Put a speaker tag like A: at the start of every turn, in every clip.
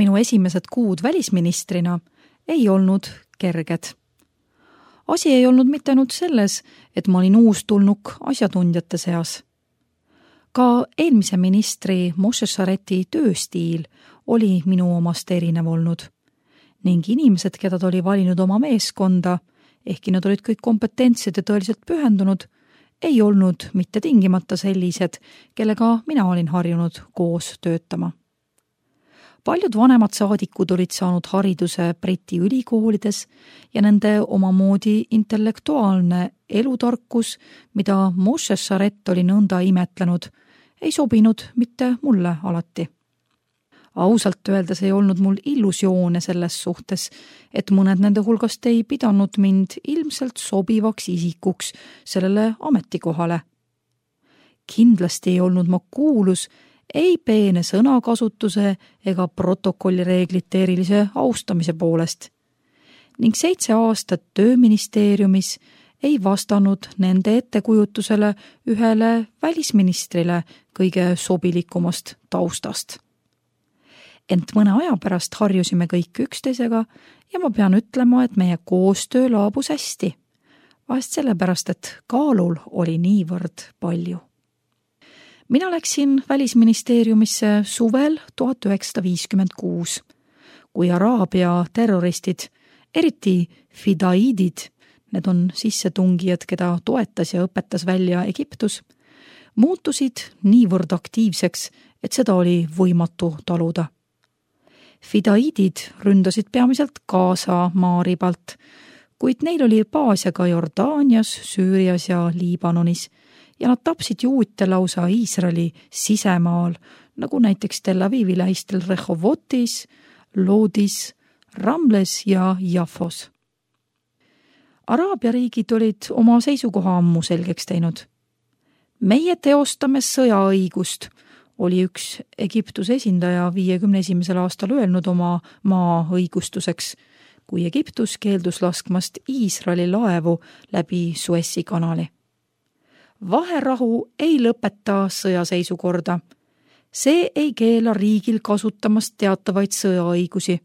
A: Minu esimesed kuud välisministrina ei olnud kerged. Asi ei olnud mitte ainult selles, et ma olin uustulnuk asjatundjate seas. Ka eelmise ministri Moshe Shareti tööstiil oli minu omast erinev olnud ning inimesed, keda ta oli valinud oma meeskonda, ehkki nad olid kõik kompetentsed ja tõeliselt pühendunud, ei olnud mitte tingimata sellised, kellega mina olin harjunud koos töötama. Paljud vanemad saadikud olid saanud hariduse Briti ülikoolides ja nende omamoodi intellektuaalne elutarkus, mida Moshe Sharet oli nõnda imetlenud, ei sobinud mitte mulle alati. Ausalt öeldes ei olnud mul illusioone selles suhtes, et mõned nende hulgast ei pidanud mind ilmselt sobivaks isikuks sellele ametikohale. Kindlasti ei olnud ma kuulus ei peene sõnakasutuse ega protokollireeglite erilise austamise poolest ning 7 aastat tööministeeriumis ei vastanud nende ettekujutusele ühele välisministrile kõige sobilikumast taustast. Ent mõne aja pärast harjusime kõik üksteisega ja ma pean ütlema, et meie koostöö laabus hästi. Vahest sellepärast, et kaalul oli niivõrd palju. Mina läksin välisministeeriumisse suvel 1956, kui Araabia terroristid, eriti fidaiidid, need on sissetungijad, keda toetas ja õpetas välja Egiptus, muutusid niivõrd aktiivseks, et seda oli võimatu taluda. Fidaiidid ründasid peamiselt Gaza maaribalt, kuid neil oli baase ka Jordaanias, Süürias ja Liibanonis ja nad tapsid juute lausa Iisraeli sisemaal, nagu näiteks Tel Avivi lähistel Rehovotis, Lodis, Ramles ja Jaffos. Araabia riigid olid oma seisukoha ammu selgeks teinud. Meie teostame sõjaõigust, oli üks Egiptuse esindaja 51. aastal öelnud oma maa õigustuseks, kui Egiptus keeldus laskmast Iisraeli laevu läbi Suessi kanali. Vaherahu ei lõpeta sõjaseisukorda. See ei keela riigil kasutamast teatavaid sõjaõigusi.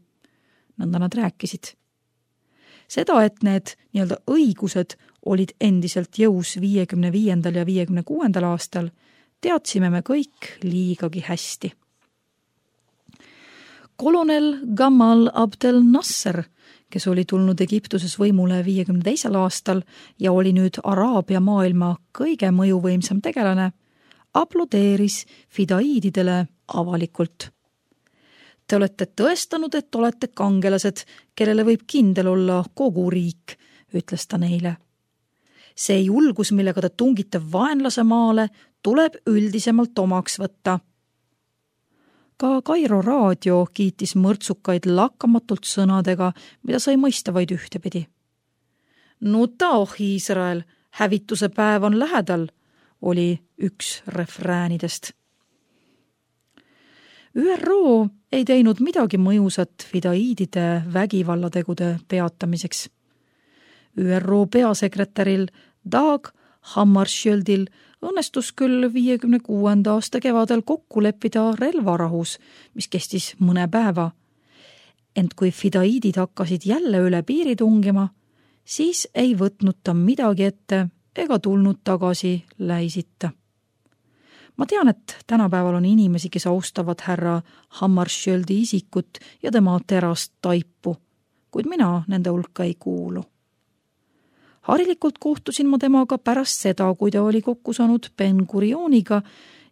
A: Nõnda nad rääkisid. Seda, et need nii-öelda õigused olid endiselt jõus 55. ja 56. aastal, teadsime me kõik liigagi hästi. Kolonel Gamal Abdel Nasser, kes oli tulnud Egiptuses võimule 52. aastal ja oli nüüd Araabia maailma kõige mõjuvõimsam tegelane, aplodeeris fidaiididele avalikult. Te olete tõestanud, et olete kangelased, kellele võib kindel olla kogu riik, ütles ta neile. See julgus, millega te tungite vaenlase maale, tuleb üldisemalt omaks võtta. Ka Kairo raadio kiitis mõrtsukaid lakkamatult sõnadega, mida sai mõista vaid ühtepidi. Nutaoh Iisrael, hävituse päev on lähedal, oli üks refräänidest. ÜRO ei teinud midagi mõjusat fidaiidide vägivallategude peatamiseks. ÜRO peasekretäril Dag Hammarskjöldil õnnestus küll 56. aasta kevadel kokku leppida relvarahus, mis kestis mõne päeva. Ent kui fidaiidid hakkasid jälle üle piiri tungima, siis ei võtnud ta midagi ette ega tulnud tagasi Läisita. Ma tean, et tänapäeval on inimesi, kes austavad härra Hammarskjöldi isikut ja tema terast taipu, kuid mina nende hulka ei kuulu. Harilikult kohtusin ma temaga pärast seda, kui ta oli kokku saanud Ben Gurioniga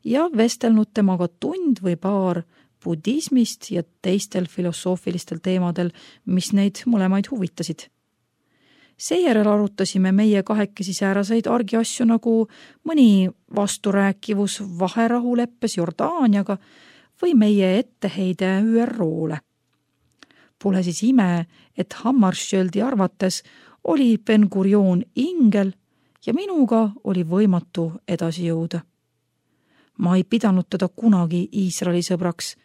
A: ja vestelnud temaga tund või paar budismist ja teistel filosoofilistel teemadel, mis neid mõlemaid huvitasid. Seejärel arutasime meie kahekesi sääraseid argiasju nagu mõni vasturääkivus vaherahuleppes Jordaaniaga või meie etteheide ÜRO-le. Pole siis ime, et Hammarskjöldi arvates oli Ben Gurion ingel ja minuga oli võimatu edasi jõuda. Ma ei pidanud teda kunagi Iisraeli sõbraks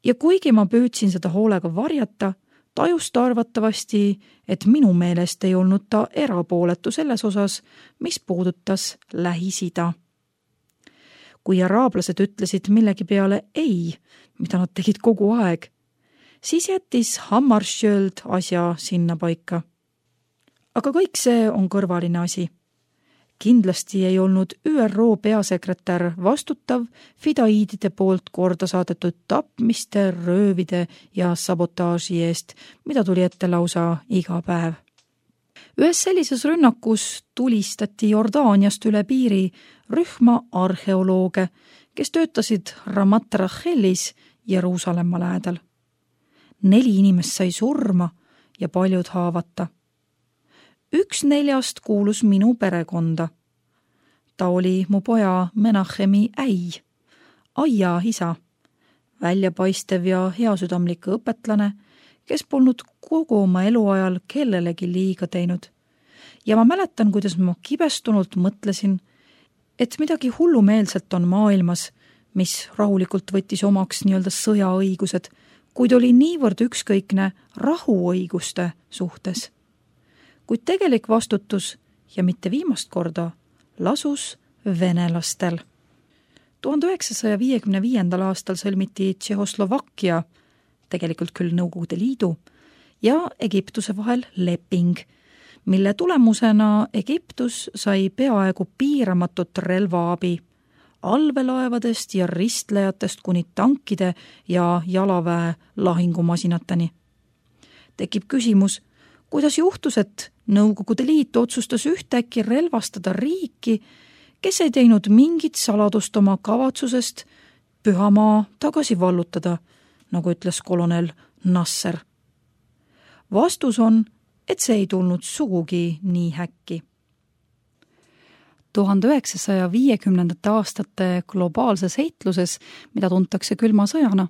A: ja kuigi ma püüdsin seda hoolega varjata, tajus ta arvatavasti, et minu meelest ei olnud ta erapooletu selles osas, mis puudutas Lähis-Ida. Kui araablased ütlesid millegi peale ei, mida nad tegid kogu aeg, siis jättis Hammarskjöld asja sinna paika. Aga kõik see on kõrvaline asi. Kindlasti ei olnud ÜRO peasekretär vastutav fidaiidide poolt korda saadetud tapmiste, röövide ja sabotaaži eest, mida tuli ette lausa iga päev. Ühes sellises rünnakus tulistati Jordaaniast üle piiri rühma arheolooge, kes töötasid Ramat Rachelis Jeruusalemma lähedal. 4 inimest sai surma ja paljud haavata. 1 4 kuulus minu perekonda. Ta oli mu poja Menachemi äi, aia isa, väljapaistev ja heasüdamlik õpetlane, kes polnud kogu oma eluajal kellelegi liiga teinud. Ja ma mäletan, kuidas ma kibestunult mõtlesin, et midagi hullumeelselt on maailmas, mis rahulikult võttis omaks nii-öelda sõjaõigused, kuid oli niivõrd ükskõikne rahuõiguste suhtes. Kuid tegelik vastutus ja mitte viimast korda lasus venelastel. 1955. aastal sõlmiti Tšehhoslovakkia, tegelikult küll Nõukogude Liidu, ja Egiptuse vahel leping, mille tulemusena Egiptus sai peaaegu piiramatut relvaabi allveelaevadest ja ristlejatest kuni tankide ja jalaväe lahingumasinateni. Tekib küsimus, kuidas juhtus, et Nõukogude Liit otsustas ühtäkki relvastada riiki, kes ei teinud mingit saladust oma kavatsusest pühamaa tagasi vallutada, nagu ütles kolonel Nasser. Vastus on, et see ei tulnud sugugi nii häkki. 1950. aastate globaalses heitluses, mida tuntakse külma sõjana,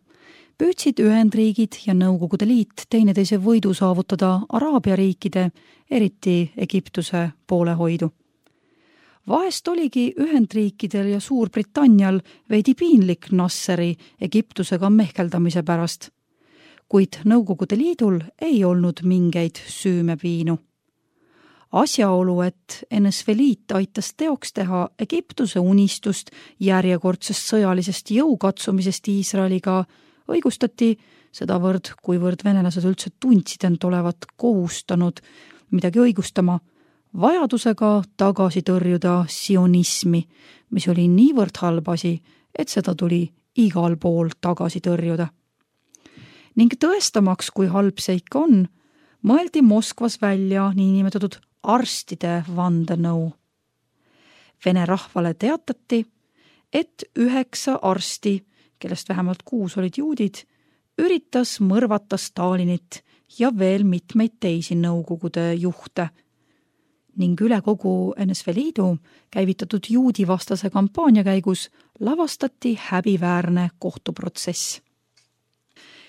A: püüdsid Ühendriigid ja Nõukogude Liit teineteise võidu saavutada Araabia riikide, eriti Egiptuse poolehoidu. Vahest oligi Ühendriikidel ja Suurbritannial veidi piinlik Nasseri Egiptusega mehkeldamise pärast, kuid Nõukogude Liidul ei olnud mingeid süümepiinu. Asjaolu, et NSV Liit aitas teoks teha Egiptuse unistust järjekordsest sõjalisest jõukatsumisest Iisraeliga, õigustati sedavõrd, kuivõrd venelased üldse tundsid end olevat kohustanud midagi õigustama, vajadusega tagasi tõrjuda sionismi, mis oli niivõrd halb asi, et seda tuli igal pool tagasi tõrjuda. Ning tõestamaks, kui halb see ikka on, mõeldi Moskvas välja niinimetatud arstide vandenõu. Vene rahvale teatati, et 9 arsti, kellest vähemalt 6 olid juudid, üritas mõrvata Stalinit ja veel mitmeid teisi Nõukogude juhte ning üle kogu NSV Liidu käivitatud juudivastase kampaania käigus lavastati häbiväärne kohtuprotsess.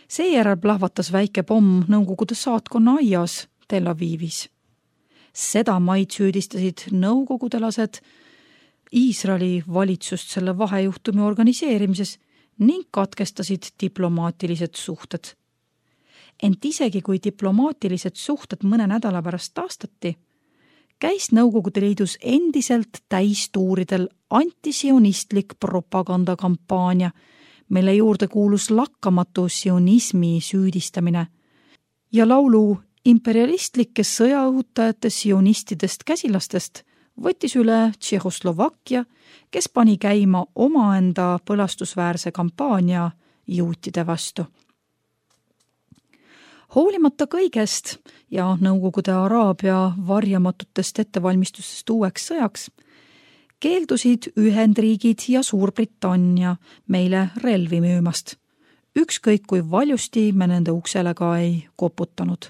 A: Seejärel plahvatas väike pomm Nõukogude saatkonna aias Tel Avivis. Seda maid süüdistasid nõukogudelased Iisraeli valitsust selle vahejuhtumi organiseerimises ning katkestasid diplomaatilised suhted. Ent isegi kui diplomaatilised suhted mõne nädala pärast taastati, käis Nõukogude Liidus endiselt täistuuridel antisionistlik propagandakampaania, mille juurde kuulus lakkamatu sionismi süüdistamine ja laulu imperialistlike sõjaõhutajate sionistidest käsilastest võttis üle Tšehhoslovakkia, kes pani käima omaenda põlastusväärse kampaania juutide vastu. Hoolimata kõigest ja Nõukogude Araabia varjamatutest ettevalmistustest uueks sõjaks, keeldusid Ühendriigid ja Suurbritannia meile relvi müümast. Ükskõik kui valjusti me nende uksele ka ei koputanud.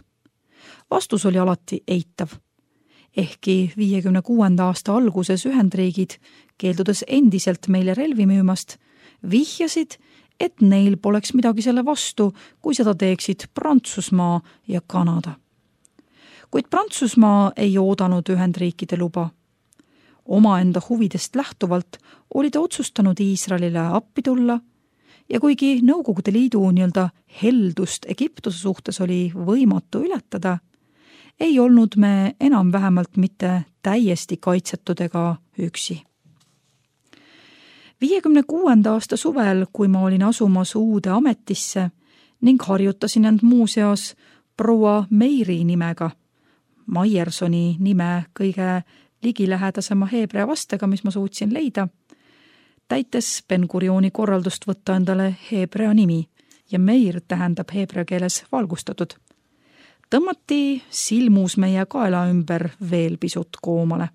A: Vastus oli alati eitav. Ehkki 56. aasta alguses Ühendriigid, keeldudes endiselt meile relvi müümast, vihjasid, et neil poleks midagi selle vastu, kui seda teeksid Prantsusmaa ja Kanada. Kuid Prantsusmaa ei oodanud Ühendriikide luba. Omaenda huvidest lähtuvalt oli ta otsustanud Iisraelile appi tulla ja kuigi Nõukogude Liidu nii-öelda heldust Egiptuse suhtes oli võimatu ületada, ei olnud me enam vähemalt mitte täiesti kaitsetud ega üksi. 56. aasta suvel, kui ma olin asumas uude ametisse ning harjutasin end muuseas proua Meiri nimega, Maiersoni nime kõige ligilähedasema heebrea vastega, mis ma suutsin leida, täites Ben-Gurioni korraldust võtta endale heebrea nimi ja Meir tähendab heebrea keeles valgustatud. Tõmmati silmus meie kaela ümber veel pisut koomale.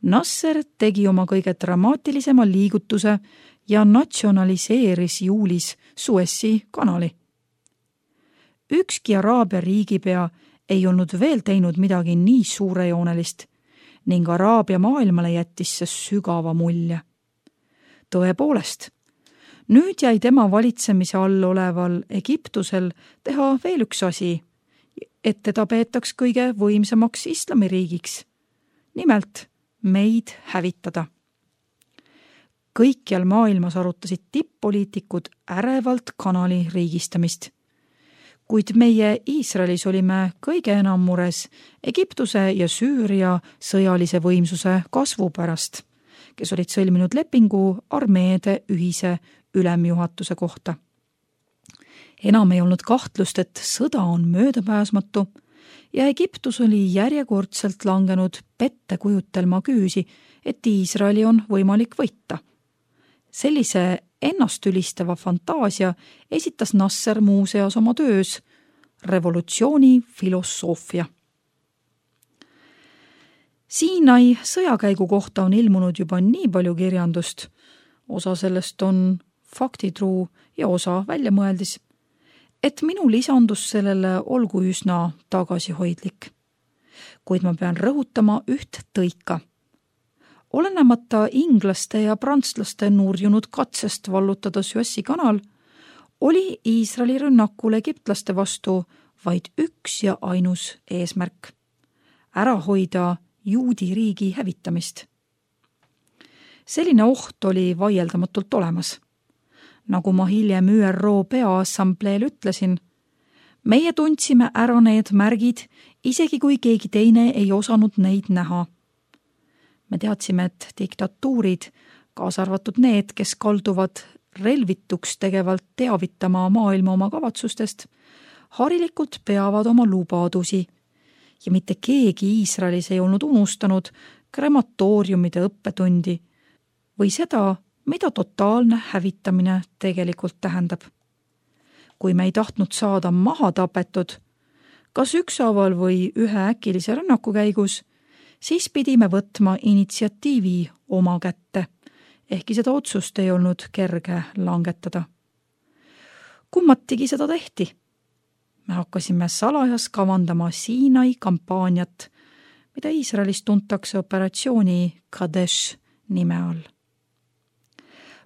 A: Nasser tegi oma kõige dramaatilisema liigutuse ja natsionaliseeris juulis Suessi kanali. Ükski Araabia riigipea ei olnud veel teinud midagi nii suurejoonelist ning Araabia maailmale jättis see sügava mulje. Tõepoolest, nüüd jäi tema valitsemise all oleval Egiptusel teha veel üks asi, et teda peetaks kõige võimsamaks islamiriigiks, nimelt meid hävitada. Kõikjal maailmas arutasid tipp-poliitikud ärevalt kanali riigistamist. Kuid meie Iisraelis olime kõige enam mures Egiptuse ja Süüria sõjalise võimsuse kasvu pärast, kes olid sõlminud lepingu armeede ühise ülemjuhatuse kohta. Enam ei olnud kahtlust, et sõda on möödapääsmatu ja Egiptus oli järjekordselt langenud pettekujutelma küüsi, et Iisraeli on võimalik võita. Sellise ennastülistava fantaasia esitas Nasser muuseas oma töös revolutsiooni filosoofia. Siinai sõjakäigu kohta on ilmunud juba nii palju kirjandust, osa sellest on faktitruu ja osa väljamõeldis, et minu lisandus sellele olgu üsna tagasihoidlik. Kuid ma pean rõhutama üht tõika. Olenemata inglaste ja prantslaste nurjunud katsest vallutada Suessi kanal, oli Iisraeli rünnakul egiptlaste vastu vaid üks ja ainus eesmärk: ära hoida juudi riigi hävitamist. Selline oht oli vaieldamatult olemas. Nagu ma hiljem ÜRO Peaassambleel ütlesin, meie tundsime ära need märgid, isegi kui keegi teine ei osanud neid näha. Me teadsime, et diktatuurid, kaasa arvatud need, kes kalduvad relvituks tegevalt teavitama maailma oma kavatsustest, harilikult peavad oma lubadusi ja mitte keegi Iisraelis ei olnud unustanud krematooriumide õppetundi või seda, mida totaalne hävitamine tegelikult tähendab. Kui me ei tahtnud saada maha tapetud, kas ükshaaval või ühe äkilise rünnaku käigus, siis pidime võtma initsiatiivi oma kätte, ehkki seda otsust ei olnud kerge langetada. Kummatigi seda tehti. Me hakkasime salajas kavandama Siinai kampaaniat, mida Iisraelis tuntakse operatsiooni Kadesh nime all.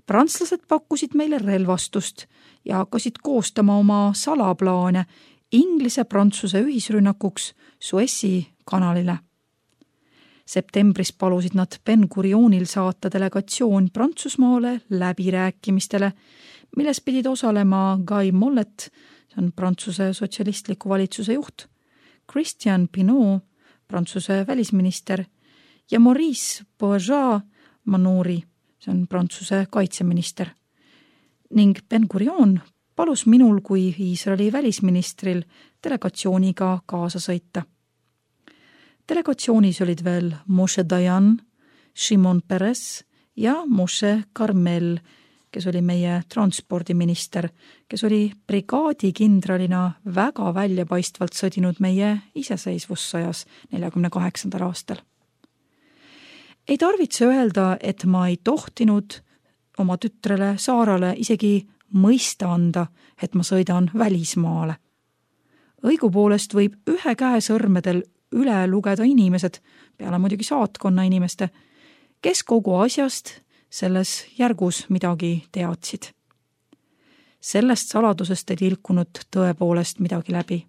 A: Prantslased pakkusid meile relvastust ja hakkasid koostama oma salaplaane Inglise-Prantsuse ühisrünnakuks Suessi kanalile. Septembris palusid nad Ben-Gurionil saata delegatsioon Prantsusmaale läbirääkimistele, milles pidid osalema Guy Mollet, see on Prantsuse sotsialistliku valitsuse juht, Christian Pinot, Prantsuse välisminister, ja Maurice Bourgeat-Manouri, see on Prantsuse kaitseminister. Ning Ben-Gurion palus minul kui Iisraeli välisministril delegatsiooniga kaasa sõita. Delegatsioonis olid veel Moshe Dayan, Shimon Peres ja Moshe Carmel, kes oli meie transpordiminister, kes oli brigaadikindralina väga väljapaistvalt sõdinud meie iseseisvussõjas 48. aastal. Ei tarvitse öelda, et ma ei tohtinud oma tütrele Saarale isegi mõista anda, et ma sõidan välismaale. Õigupoolest võib ühe käe sõrmedel üle lugeda inimesed, peale muidugi saatkonna inimeste, kes kogu asjast selles järgus midagi teadsid. Sellest saladusest ei tilkunud tõepoolest midagi läbi.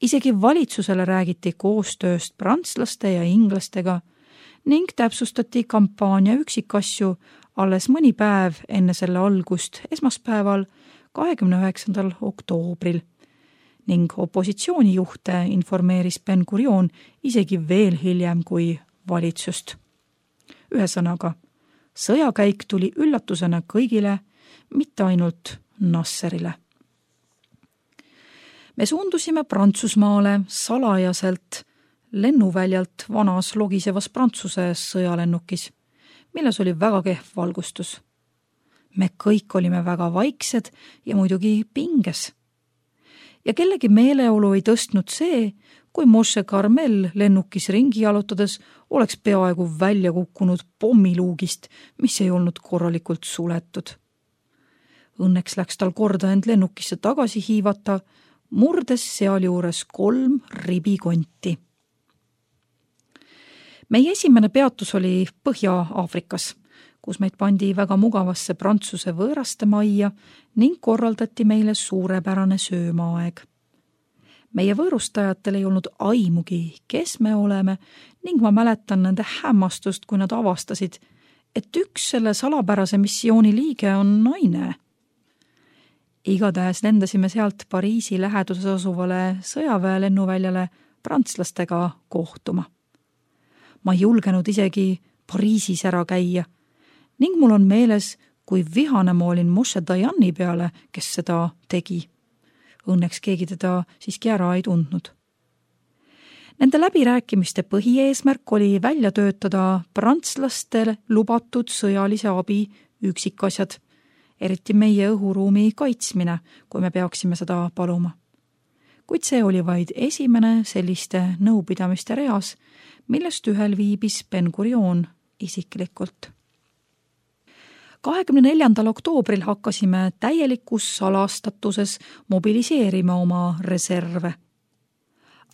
A: Isegi valitsusele räägiti koostööst prantslaste ja inglastega ning täpsustati kampaania üksikasju alles mõni päev enne selle algust esmaspäeval 29. oktoobril ning opositsioonijuhte informeeris Ben-Gurion isegi veel hiljem kui valitsust. Ühesõnaga, sõjakäik tuli üllatusena kõigile, mitte ainult Nasserile. Me suundusime Prantsusmaale salajaselt lennuväljalt vanas logisevas Prantsuse sõjalennukis, milles oli väga kehv valgustus. Me kõik olime väga vaiksed ja muidugi pinges. Ja kellegi meeleolu ei tõstnud see, kui Moshe Carmel lennukis ringi jalutades oleks peaaegu välja kukkunud pommiluugist, mis ei olnud korralikult suletud. Õnneks läks tal korda end lennukisse tagasi hiivata, murdes sealjuures 3 ribikonti. Meie esimene peatus oli Põhja-Aafrikas, kus meid pandi väga mugavasse Prantsuse võõraste majja ning korraldati meile suurepärane söömaaeg. Meie võõrustajatel ei olnud aimugi, kes me oleme, ning ma mäletan nende hämmastust, kui nad avastasid, et üks selle salapärase missiooni liige on naine. Igatahes lendasime sealt Pariisi läheduses asuvale sõjaväe lennuväljale prantslastega kohtuma. Ma ei julgenud isegi Pariisis ära käia ning mul on meeles, kui vihane ma olin Moshe Dayani peale, kes seda tegi. Õnneks keegi teda siiski ära ei tundnud. Nende läbirääkimiste põhieesmärk oli välja töötada prantslastele lubatud sõjalise abi üksikasjad, eriti meie õhuruumi kaitsmine, kui me peaksime seda paluma. Kuid see oli vaid esimene selliste nõupidamiste reas, millest ühel viibis Ben-Gurion isiklikult. 24. oktoobril hakkasime täielikus salastatuses mobiliseerima oma reserve.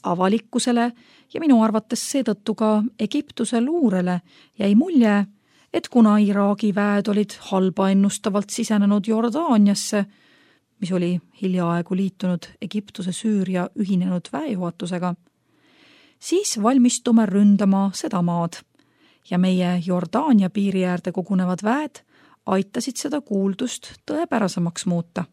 A: Avalikkusele ja minu arvates seetõttu ka Egiptuse luurele jäi mulje, et kuna Iraagi väed olid halba ennustavalt sisenenud Jordaaniasse, mis oli hiljaaegu liitunud Egiptuse Süüria ühinenud väejuhatusega, siis valmistume ründama seda maad ja meie Jordaania piiri äärde kogunevad väed aitasid seda kuuldust tõepärasemaks muuta.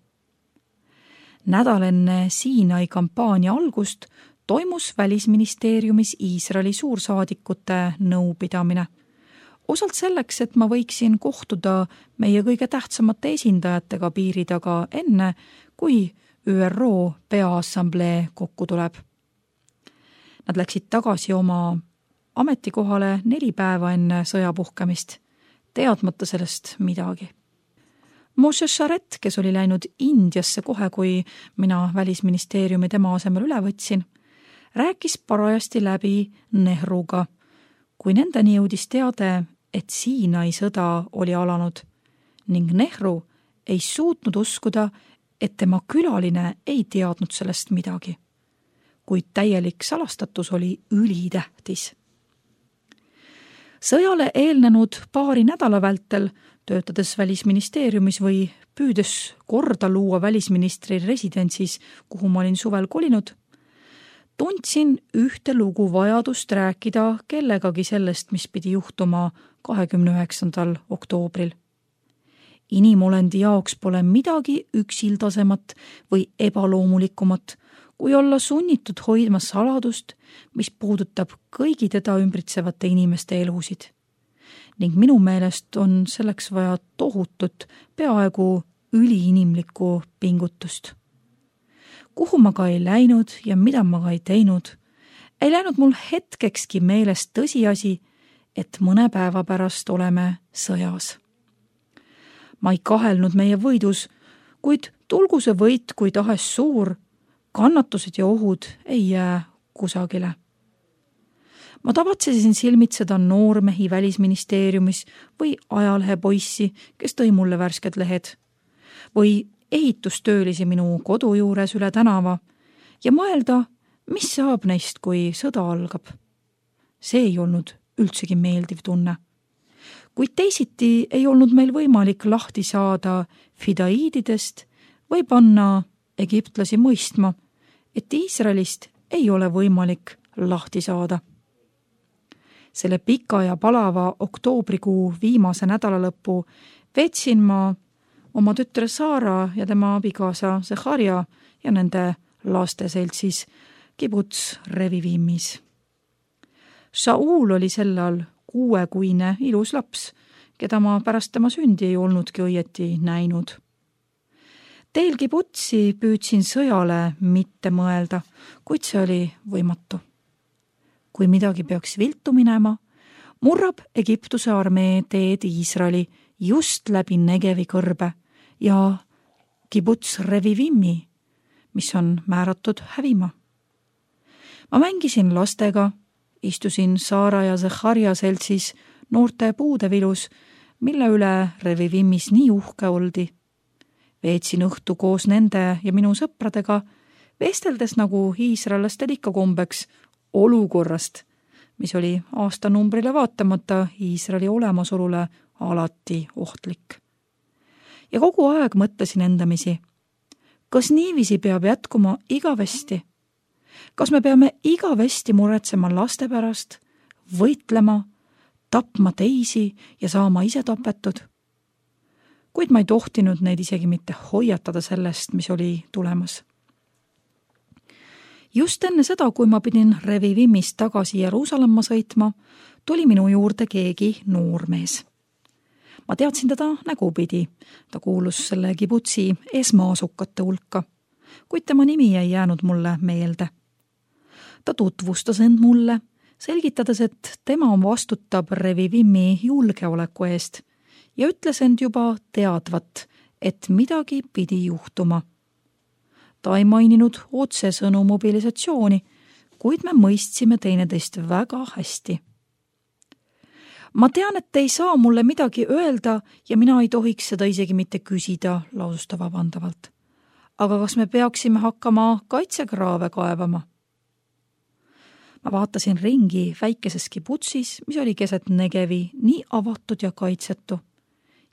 A: Nädal enne Siinai kampaania algust toimus Välisministeeriumis Iisraeli suursaadikute nõupidamine. Osalt selleks, et ma võiksin kohtuda meie kõige tähtsamate esindajatega piiri taga enne, kui ÜRO Peaassamblee kokku tuleb. Nad läksid tagasi oma ametikohale 4 päeva enne sõja puhkemist, teadmata sellest midagi. Moshe Sharet, kes oli läinud Indiasse kohe, kui mina Välisministeeriumi tema asemel üle võtsin, rääkis parajasti läbi Nehruga, kui nendeni jõudis teade, et Siinai sõda oli alanud ning Nehru ei suutnud uskuda, et tema külaline ei teadnud sellest midagi, kuid täielik salastatus oli ülitähtis. Sõjale eelnenud 2 nädala vältel, töötades Välisministeeriumis või püüdes korda luua välisministri residentsis, kuhu ma olin suvel kolinud, tundsin ühte lugu vajadust rääkida kellegagi sellest, mis pidi juhtuma 29. oktoobril. Inimolendi jaoks pole midagi üksildasemat või ebaloomulikumat, kui olla sunnitud hoidma saladust, mis puudutab kõigi teda ümbritsevate inimeste elusid. Ning minu meelest on selleks vaja tohutut, peaaegu üliinimlikku pingutust. Kuhu ma ka ei läinud ja mida ma ka ei teinud, ei läinud mul hetkekski meelest tõsiasi, et mõne päeva pärast oleme sõjas. Ma ei kahelnud meie võidus, kuid tulgu see võit kui tahes suur, kannatused ja ohud ei jää kusagile. Ma tavatsesin silmitseda noormehi Välisministeeriumis või ajalehepoissi, kes tõi mulle värsked lehed, või ehitustöölisi minu kodu juures üle tänava ja mõelda, mis saab neist, kui sõda algab. See ei olnud üldsegi meeldiv tunne. Kuid teisiti ei olnud meil võimalik lahti saada fidaiididest või panna egiptlasi mõistma, et Iisraelist ei ole võimalik lahti saada. Selle pika ja palava oktoobrikuu viimase nädalalõppu veetsin ma oma tütre Saara ja tema abikaasa Zecharia ja nende laste seltsis kibuts Revivimis. Shaul oli sellal 6-kuine ilus laps, keda ma pärast tema sündi ei olnudki õieti näinud. Teel kibutsi püüdsin sõjale mitte mõelda, kuid see oli võimatu. Kui midagi peaks viltu minema, murrab Egiptuse armee teed Iisraeli just läbi Negevi kõrbe ja kibuts Revivimi, mis on määratud hävima. Ma mängisin lastega, istusin Saara ja Zecharja seltsis noorte puudevilus, mille üle Revivimis nii uhke oldi. Veetsin õhtu koos nende ja minu sõpradega, vesteldes nagu iisraelastel ikka kombeks olukorrast, mis oli aastanumbrile vaatamata Iisraeli olemasolule alati ohtlik. Ja kogu aeg mõtlesin endamisi, kas niiviisi peab jätkuma igavesti? Kas me peame igavesti muretsema laste pärast, võitlema, tapma teisi ja saama ise tapetud? Kuid ma ei tohtinud neid isegi mitte hoiatada sellest, mis oli tulemas. Just enne seda, kui ma pidin Revivimist tagasi Jeruusalemma sõitma, tuli minu juurde keegi noormees. Ma teadsin teda nägupidi, ta kuulus selle kibutsi esmaasukate hulka, kuid tema nimi ei jäänud mulle meelde. Ta tutvustas end mulle, selgitades, et tema vastutab Revivimi julgeoleku eest ja ütles end juba teadvat, et midagi pidi juhtuma. Ta ei maininud otsesõnu mobilisatsiooni, kuid me mõistsime teineteist väga hästi. Ma tean, et ei saa mulle midagi öelda ja mina ei tohiks seda isegi mitte küsida, lausus ta vabandavalt. Aga kas me peaksime hakkama kaitsekraave kaevama? Ma vaatasin ringi väikeses kibutsis, mis oli keset Negevi, nii avatud ja kaitsetu.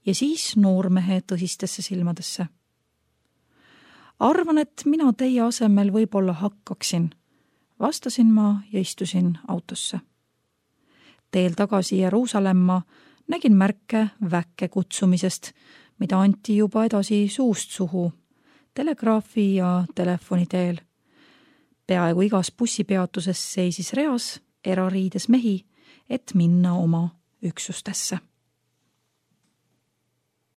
A: Ja siis noormehe tõsistesse silmadesse. Arvan, et mina teie asemel võib-olla hakkaksin, vastasin ma ja istusin autosse. Teel tagasi Jeruusalemma nägin märke väkke kutsumisest, mida anti juba edasi suust suhu, telegraafi ja telefoni teel. Peaaegu igas bussipeatuses seisis reas erariides mehi, et minna oma üksustesse.